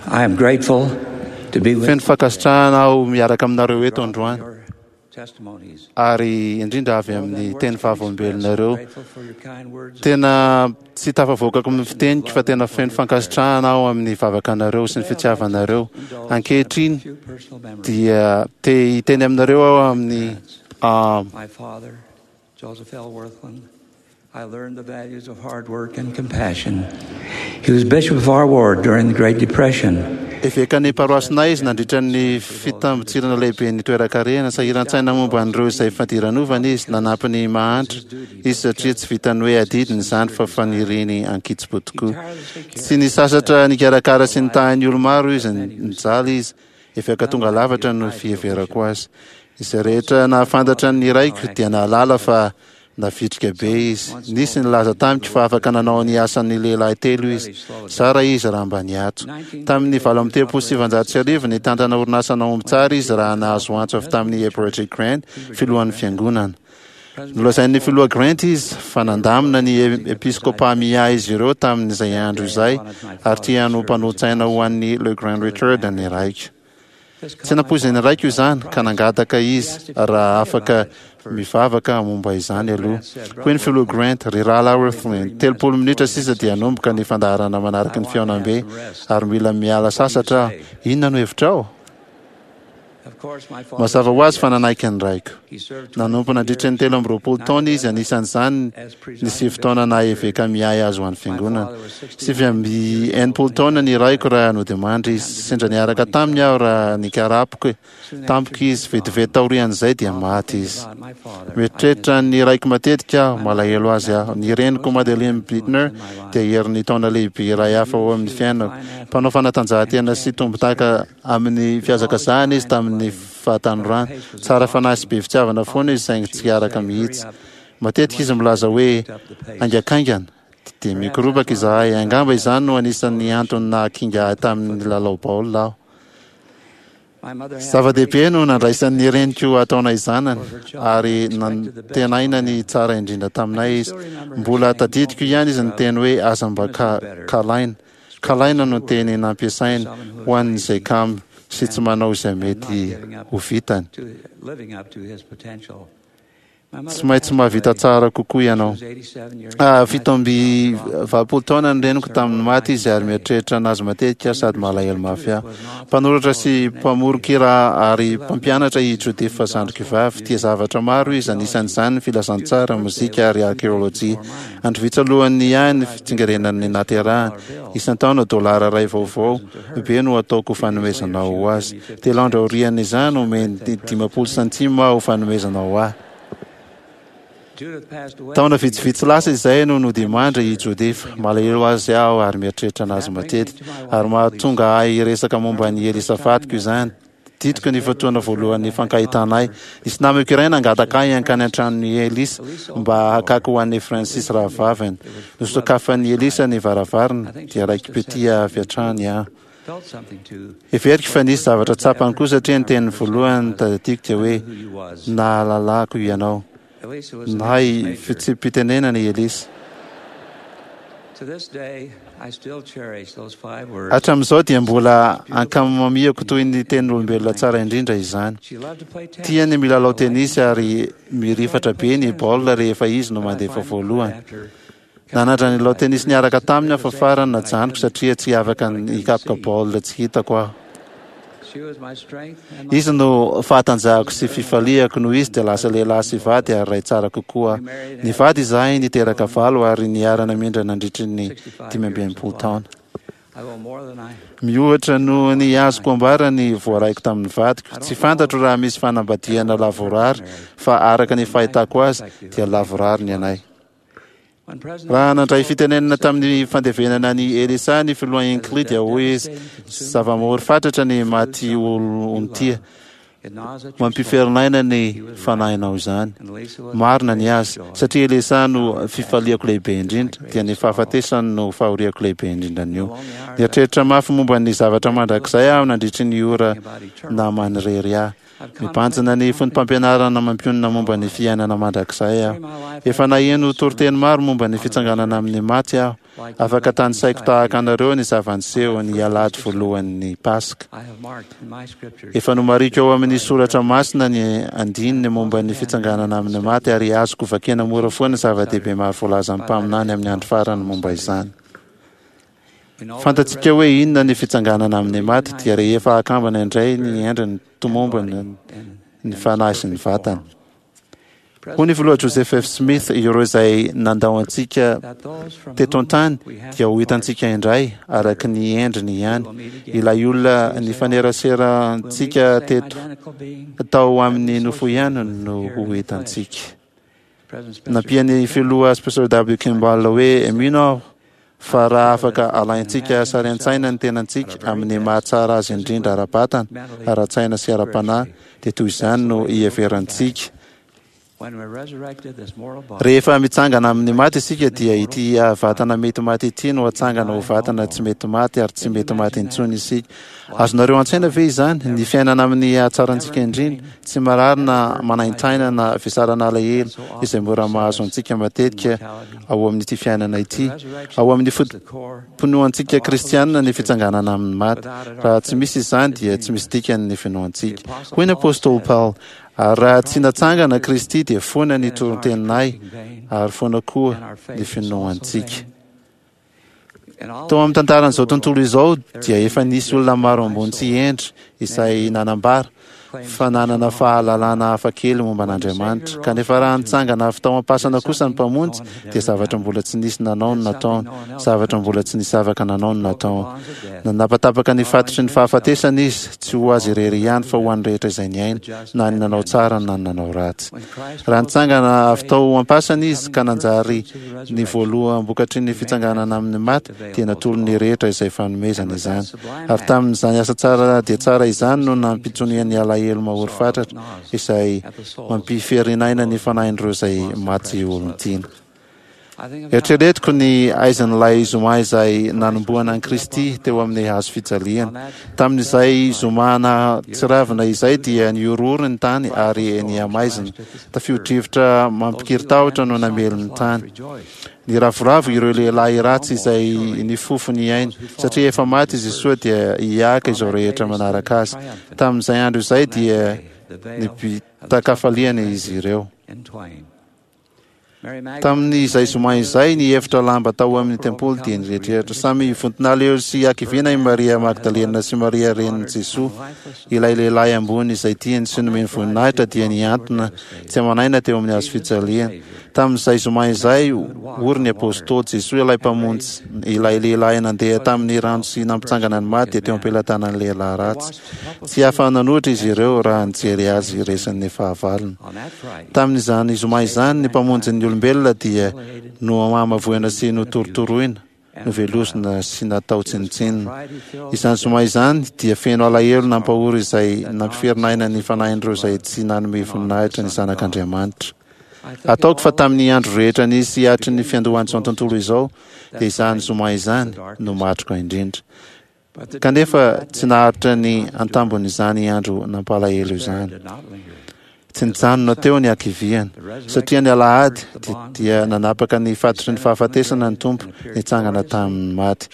I am grateful to be with Feno fankasitrahana aho miaraka aminareo eto androany your testimonies. ary indrindra avy amin'ny teny vavolombelonareo. Grateful for your kind words. Tena tsy tafavoakako amin'ny fiteniko fa tena feno fankasitrahana aho amin'ny vavakanareo sy ny fitiavanareo. Ankehitriny Few personal memories. dia te hiteny aminareo aho amin'ny ah, My father, Joseph L. Wirthlin, I learned the values of hard work and compassion. He was bishop of our ward during the Great Depression. Evekan'ny paroasinay izy nandritra ny fitambotsirana lehibe ny toeran-karena. Sahiran-tsaina momba an'ireo izay fadiranovana izy, nanampy ny mahantra izy satria tsy vitan'ny hoe adidiny izany fa faniriany ankitsipo tokoa. Tsy nisasatra nikarakara sy nitahy ny olo-maro izy, nijaly izy. Eveka tonga lavatra no fiheverako azy. Izay rehetra nahafantatra ny raiko dia nahalala fa navitrika be izy. Nisy nilaza tamiko fa afaka nanao ny asan'ny lehilahy telo izy. Zara izy raha mba niato. Tamin'ny 1938 nitantana orinasa nahomby tsara izy raha nahazo antso avy tamin'ny Heber J. Grant, filohan'ny fiangonana. Nolazain'ny filoha Grant izy fa nandamina ny episkopa miahy izy ireo tamin'izay andro izay ary tiany ho mpanolotsaina ho an'ny Le Grand Richard ny raiko. Tsy nampoizin'ny raiko izany ka nangataka izy raha afaka mivavaka momba izany aloha. Hoy ny filoha Grant, ry rahalahy Wirthlin, 30 minitra sisa dia hanomboka ny fandaharana manaraka ny fihaonambe ary mila miala sasatra aho. Inona no hevitrao? Of course, my father, Mazava ho azy fa nanaiky ny raiko. he served Nanompo nandritra ny 23 taona izy, anisan'izany ny 9 taona naha eveka miahy azy ho an'ny fiangonana. 69 taona ny raiko raha nodimandry izy. Sendra niaraka taminy aho raha nikarapoka tampoka izy. Vetivety taorian'izay dia maty izy. about my father. Mieritreritra ny raiko matetika aho, malahelo azy aho. Ny reniko Madeleine Bittner dia herin'ny taona lehibe iray hafa ao amin'ny fiainako. Mpanao fanatanjahantena sy tompon-daka amin'ny fihazakazahana izy tamin'ny fahatanorana. Tsara fanahy sy be fitiavana foana izy saingy tsy araka mihitsy. Matetika izy milaza hoe haingankaingana dia mikorobaka izahay. Angamba izany no anisan'ny antony nahakinga ahy tamin'ny lalao baolina aho. My mother had Zava-dehibe no nandraisan'ny reniko ataonay zanany ary nantenaina ny tsara indrindra taminay izy. Mbola tadidiko ihany izy niteny hoe aza mba ka- kalaina. Kalaina no teny nampiasainy ho an'izay kamo sy tsy manao izay mety ho vitany. to living up to his potential. My mother Tsy maintsy mahavita tsara kokoa ianao. was 87 years Ah, 87 taona ny reniko tamin'ny maty izy ary mieritreritra anazy matetika sady malahelo mafy aho. Mpanoratra sy mpamoron-kira ary mpampianatra i Judith zandriko vavy. Tia zavatra maro izy, anisan'izany ny filazantsara, mozika ary arkeolojia. Andro vitsy alohan'ny ahy ny fitsingerenan'ny naterahany. Isan-taona dolara iray vaovao be no ataoko ho fanomezana ho azy. 3 andro aorian'izany omeny 50 santima ho fanomezana ho ahy. Judith passed away. Taona vitsivitsy lasa izay no nodimandry i Judith. Malahelo azy aho ary mieritreritra anazy matetika. Ary mahatonga ahy hiresaka momba an'i Elisa vadiko izany. Tadidiko ny fotoana voalohany nifankahitanay. Nisy namako iray nangataka ahy hankany an-tranon'i Elisa mba hakako ho an'i Francis rahavaviny. Nosokafan'i Elisa ny varavarana dia raiki-pitia avy hatrany aho. Felt something to Heveriko fa nisy zavatra tsapany koa satria ny teniny voalohany tadidiko dia hoe who you was. nahalalako ianao. Elisa was an Nahay English major. fitsipi-pitenenana i Elisa. To this day, I still cherish those 5 words. Hatramin'izao dia mbola ankamamiako toy ny tenin'olombelona tsara indrindra izany. She loved to play tennis. Tiany milalao tenisy ary mirifatra be ny baolina rehefa izy no mandefa voalohany. After Nanandrana nilalao tenisy niaraka taminy aho fa farany najanoko satria tsy afaka hikapoka baolina tsy hitako aho. she was my strength and my Izy no fahatanjahako sy fifaliako noho izy dia lasa lehilahy sy vady ary ray tsara kokoa. Nivady izahay niteraka 8 ary niarana mindra nandritry ny 65 taona. I owe more than I Mihoatra noho ny azoko ambara ny voaraiko tamin'ny vadiko. Tsy fantatro raha misy fanambadiana lavorary fa araka ny fahitako azy dia lavorary ny anay. When President Raha nandray fitenenana tamin'ny fandevenana ny Elisa ny filoha Hinckley dia hoy izy, zava-mahory fatratra ny maty olon-tia. Mampiferinaina ny fanahinao izany. Marina ny azy, satria Elisa no fifaliako lehibe indrindra, dia ny fahafatesany no fahoriako lehibe indrindra anio. Nieritreritra mafy momba ny zavatra mandrakizay aho nandritry ny ora naha-manirery ahy. Mibanjina ny foto-pampianarana mampionona momba ny fiainana mandrakizay aho. Efa naheno toriteny maro momba ny fitsanganana amin'ny maty aho. Afaka tanisaiko tahaka anareo ny zava-niseho ny alahady voalohan'ny Paska. Efa nomariko ao amin'ny soratra masina ny andininy momba ny fitsanganana amin'ny maty ary azoko vakiana mora foana zava-dehibe maro voalazan'ny mpaminany amin'ny andro farany momba izany. Fantatsika hoe inona ny fitsanganana amin'ny maty dia rehefa akambana indray ny endriny tomombana ny fanahy sy ny vatana. Hoy ny Filoha Joseph F. Smith, Ireo izay nandao antsika teto an-tany dia ho hitantsika indray araka ny endriny ihany. Ilay olona nifaneraserantsika teto tao amin'ny nofo ihany no ho hitantsika. Nampian'ny Filoha Spencer W. Kimball hoe, Mino aho fa raha afaka alaintsika sary an-tsaina ny tenantsika amin'ny maha-tsara azy indrindra ara-batana, ara-tsaina sy ara-panahy, dia toy izany no hiheverantsika. Rehefa mitsangana amin'ny maty isika, dia ity vatana mety maty ity no hatsangana ho vatana tsy mety maty ary tsy mety maty intsony isika. Azonareo an-tsaina ve izany? Ny fiainana amin'ny hahatsarantsika indrindra, tsy marary na manaintaina na vesarana alahelo izay mora mahazo antsika matetika ao amin'ity fiainana ity. Ao amin'ny foto-pinoantsika kristianina ny fitsanganana amin'ny maty. Raha tsy misy izany dia tsy misy dikany ny finoantsika. Hoy ny apostoly Paoly, Ary raha tsy natsangana Kristy dia foana ny torinteninay ary foana koa ny finoantsika. Tao amin'ny tantaran'izao tontolo izao dia efa nisy olona maro ambony sy hendry izay nanambara fa nanana fahalalana hafa kely momba an'Andriamanitra. Kanefa raha nitsangana avy tao am-pasana kosa ny Mpamonjy dia zavatra mbola tsy nisy nanao no nataony, zavatra mbola tsy nisy afaka nanao no nataony. Nanapatapaka ny fatotry ny fahafatesana Izy, tsy ho Azy irery ihany fa ho an'ny rehetra izay niaina, na ny nanao tsara na ny nanao ratsy. Raha nitsangana avy tao am-pasana Izy ka nanjary Ny voaloham-bokatry ny fitsanganana amin'ny maty dia natolony ny rehetra izay fanomezana izany. Ary tamin'izany asa tsara dia tsara izany no nampitoniany alahelo mahory fatratra izay mampiferin'aina ny fanahin'ireo izay maty olon-tiana. Eritreretiko ny aizin'ilay zoma izay nanombohana an'i Kristy teo amin'ny hazo fijaliana. Tamin'izay zoma nahatsiravina izay dia nihorohoro ny tany ary nihamaizina. Tafio-drivotra mampikiry-tahotra no namely ny tany. Niravoravo ireo lehilahy ratsy izay nifofo ny ainy, satria efa maty i Jesoa dia hihiaka izao rehetra manaraka azy. Tamin'izay andro izay dia nibitaka-hafaliana izy ireo. Tamin'izay zoma izay, ny efitra lamba tao amin'ny tempoly dia niretreritra. Samy vonton'alahelo sy hakiviana i Maria Magdalena sy Maria renin'i Jesoa. Ilay lehilahy ambony izay tiany sy nomeny voninahitra dia nihantona tsy aman'aina teo amin'ny hazo fijaliana. Tamin'izay zoma izay, ory ny Apôstôly. Jesoa ilay Mpamonjy, ilay lehilahy nandeha tamin'ny rano sy nampitsangana ny maty dia teo am-pelatanan'ny lehilahy ratsy. Tsy afa-nanohitra izy ireo raha nijery azy resin'ny fahavalony. Tamin'izany zoma izany, ny Mpamonjin'ny olombelona dia nohamavoina sy notorotoroina, novelosina sy natao tsinontsinona. Izany zoma izany dia feno alahelo nampahory izay nampiferinaina ny fanahin'ireo izay tsy nanome voninahitra ny Zanak'Andriamanitra. Ataoko fa tamin'ny andro rehetra nisy hatry ny fiandohan'izao tontolo izao, dia izany zoma izany no matroka indrindra. Kanefa tsy naharitra ny antambon'izany andro nampalahelo izany. Tsy nijanona teo ny hakiviana, satria ny alahady dia nanapaka ny fatotry ny fahafatesana ny Tompo nitsangana tamin'ny maty.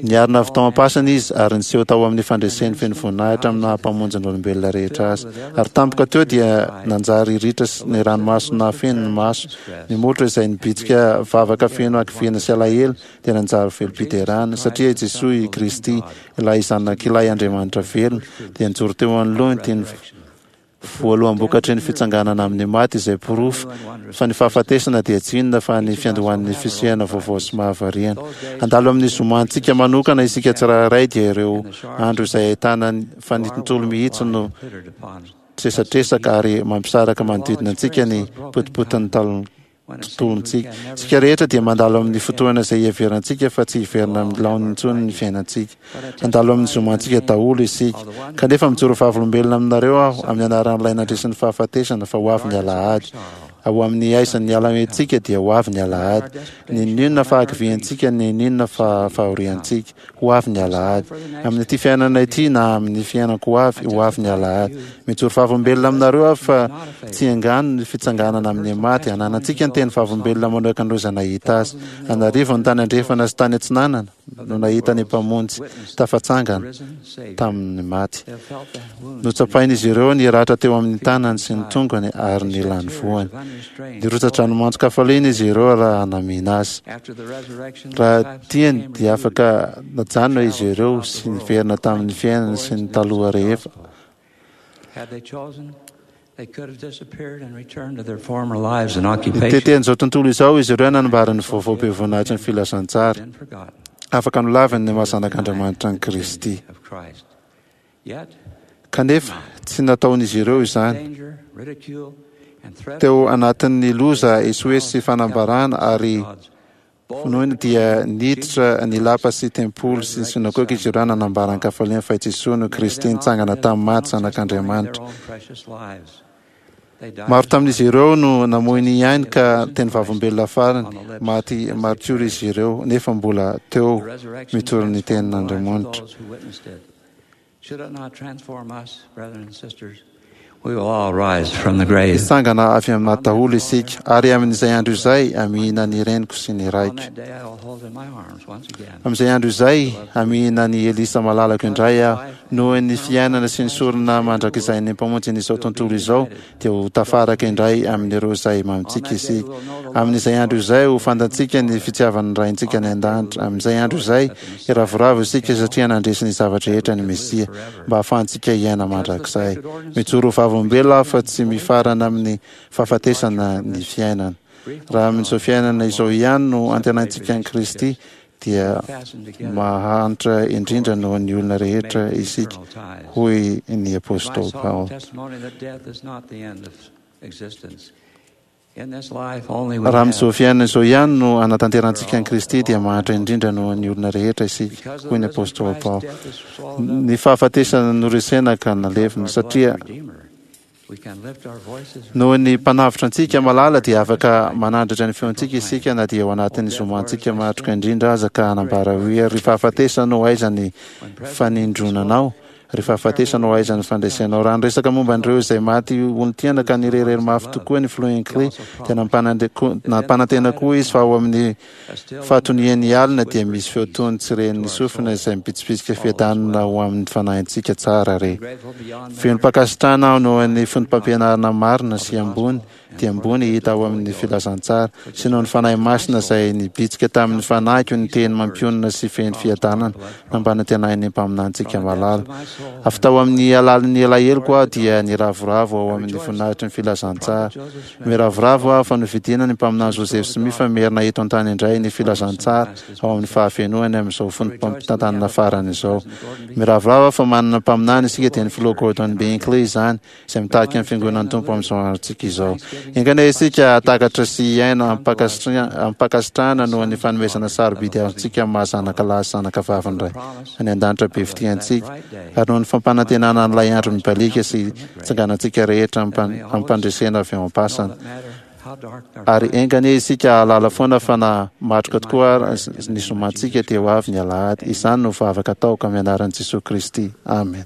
Niarina avy tao am-pasana Izy ary niseho tao amin'ny fandreseny feno voninahitra amin'ny maha Mpamonjy ny olombelona rehetra Azy. Ary tampoka teo dia nanjary ritra ny ranomaso nahafeno ny maso, ny molotra izay nibitsika vavaka feno hakiviana sy alahelo dia nanjary velom-piderana, satria i Jesoa i Kristy, ilay Zanak'ilay Andriamanitra velona, dia nijoro teo anoloany ity ny voaloham-bokatry ny fitsanganana amin'ny maty izay porofo fa ny fahafatesana dia tsy inona fa ny fiandohan'ny fisiana vaovao sy mahavariana. Handalo amin'ny zomantsika manokana isika tsirairay dia ireo andro izay ahitana fa ny tontolo mihitsy no tresatresaka ary mampisaraka manodidina antsika ny potipotin'ny talon. tontolontsika. Isika rehetra dia mandalo amin'ny fotoana izay iheverantsika fa tsy hiverina amin'ny laoniny intsony ny fiainantsika. Handalo amin'ny zomantsika daholo isika. Kanefa mijoro vavolombelona aminareo aho, amin'ny anaran'Ilay nandresy ny fahafatesana, fa ho avy ny alahady. Ao amin'ny aizan'ny alahentsika dia ho avy ny alahady. N'inon'inona fahakiviantsika, n'inon'inona fahoriantsika, ho avy ny alahady. Amin'ity fiainana ity na amin'ny fiainan-ko avy, ho avy ny alahady. Mijoro vavolombelona aminareo aho fa tsy angano ny fitsanganana amin'ny maty. Ananantsika ny teny vavolombelona manoaka an'ireo izay nahita azy. An'arivony tany andrefana sy tany atsinanana no nahita ny Mpamonjy tafatsangana tamin'ny maty. Notsapain'izy ireo ny ratra teo amin'ny tanany sy ny tongony ary ny lanivoany. Nirotsa-dranomanton-kafaliana izy ireo raha namihina azy. Raha tiany dia afaka najanona izy ireo sy niverina tamin'ny fiainany sy ny taloha rehefa. Nitety an'izao tontolo izao izy ireo nanambara ny vaovao be voninahitry ny filazantsara. Afaka nolaviny ny maha Zanak'Andriamanitra an'i Kristy. Kanefa, tsy nataon'izy ireo izany. Teo anatin'ny loza, esoeso sy fanambarana ary finoana dia niditra ny lapa sy tempoly sy ny synagoga izy ireo nanambara an-kafaliana fa i Jesoa no Kristy nitsangana tamin'ny maty, Zanak'Andriamanitra. Maro tamin'izy ireo no namoy ny ainy ka teny vavolombelona farany, maty maritiora izy ireo nefa mbola teo mitory ny tenin'Andriamanitra. Hitsangana avy amin'ny maty daholo isika, ary amin'izay andro izay hamihina ny reniko sy ny raiko. Amin'izay andro izay hamihina an'i Elisa malalako indray aho. Noho ny fiainana sy ny sorona mandrakizain'ny Mpamonjin'izao tontolo izao, dia ho tafaraka indray amin'ireo izay mamintsika isika. Amin'izay andro izay, ho fantatsika ny fitiavan'ny Raintsika any an-danitra. Amin'izay andro izay, hiravoravo isika satria nandresy ny zava-drehetra ny Mesia, mba hahafahantsika hiaina mandrakizay. Mijoro ho vavolombelona aho fa tsy mifarana amin'ny fahafatesana ny fiainana. Raha amin'izao fiainana izao ihany no antenaintsika an'i Kristy, dia mahantra indrindra noho ny olona rehetra isika, hoy ny apostoly Paoly. Raha amin'izao fiainana izao ihany no anatanterantsika an'i Kristy, dia mahantra indrindra noho ny olona rehetra isika, hoy ny apostoly Paoly. Ny fahafatesana noresena ka nalevina, satria Noho ny Mpanavotra antsika malala dia afaka manandratra ny feontsika isika na dia ao anatin'ny zomantsika matroka indrindra aza ka hanambara hoe, Ry fahafatesana ô, aiza ny fanindronanao? Ry fahafatesana ô, aiza ny fandresenao? Raha niresaka momba an'ireo izay maty olon-tiana ka nirehareha mafy tokoa ny Filoha Hinckley dia nampanantena koa izy fa ao amin'ny Fahatonian'ny alina dia misy feo tony tsy ren'ny sofina izay mibitsibitsika fiadanana ho amin'ny fanahintsika tsara re. Velom-pankasitrahana aho noho ny foto-pampianarana marina sy ambony dia ambony hita ao amin'ny filazantsara, sy noho ny Fanahy Masina izay nibitsika tamin'ny fanahiko ny teny mampionona sy feno fiadanana nampanantenain'ny mpaminanintsika malala. Avy tao amin'ny halalin'ny alaheloko aho dia niravoravo ao amin'ny voninahitry ny filazantsara. Miravoravo aho fa novidiana ny Mpaminany Joseph Smith fa miherina eto an-tany indray ny filazantsara ao amin'ny fahafenoany amin'izao fotoam-pitantanana farany izao. Miravoravo aho fa manana mpaminany isika dia ny Filoha Gordon B. Hinckley izany, izay mitarika ny Fiangonan'ny Tompo amin'izao androntsika izao. Enga anie isika hahatakatra sy hiaina amim-pankasitrahana noho ny fanomezana sarobidy azontsika amin'ny maha-zanaka lahy sy zanaka vavin'ny Ray any An-danitra be fitia antsika, ary noho ny fampanantenana an'ilay andro mibaliaka sy tsanganantsika rehetra amim-pandresena avy ao am-pasana. Ary enga anie isika hahalala foana fa na matroka tokoa ary ny zomantsika dia ho avy ny alahady. Izany no vavaka ataoko amin'ny anaran'i Jesoa Kristy. Amena.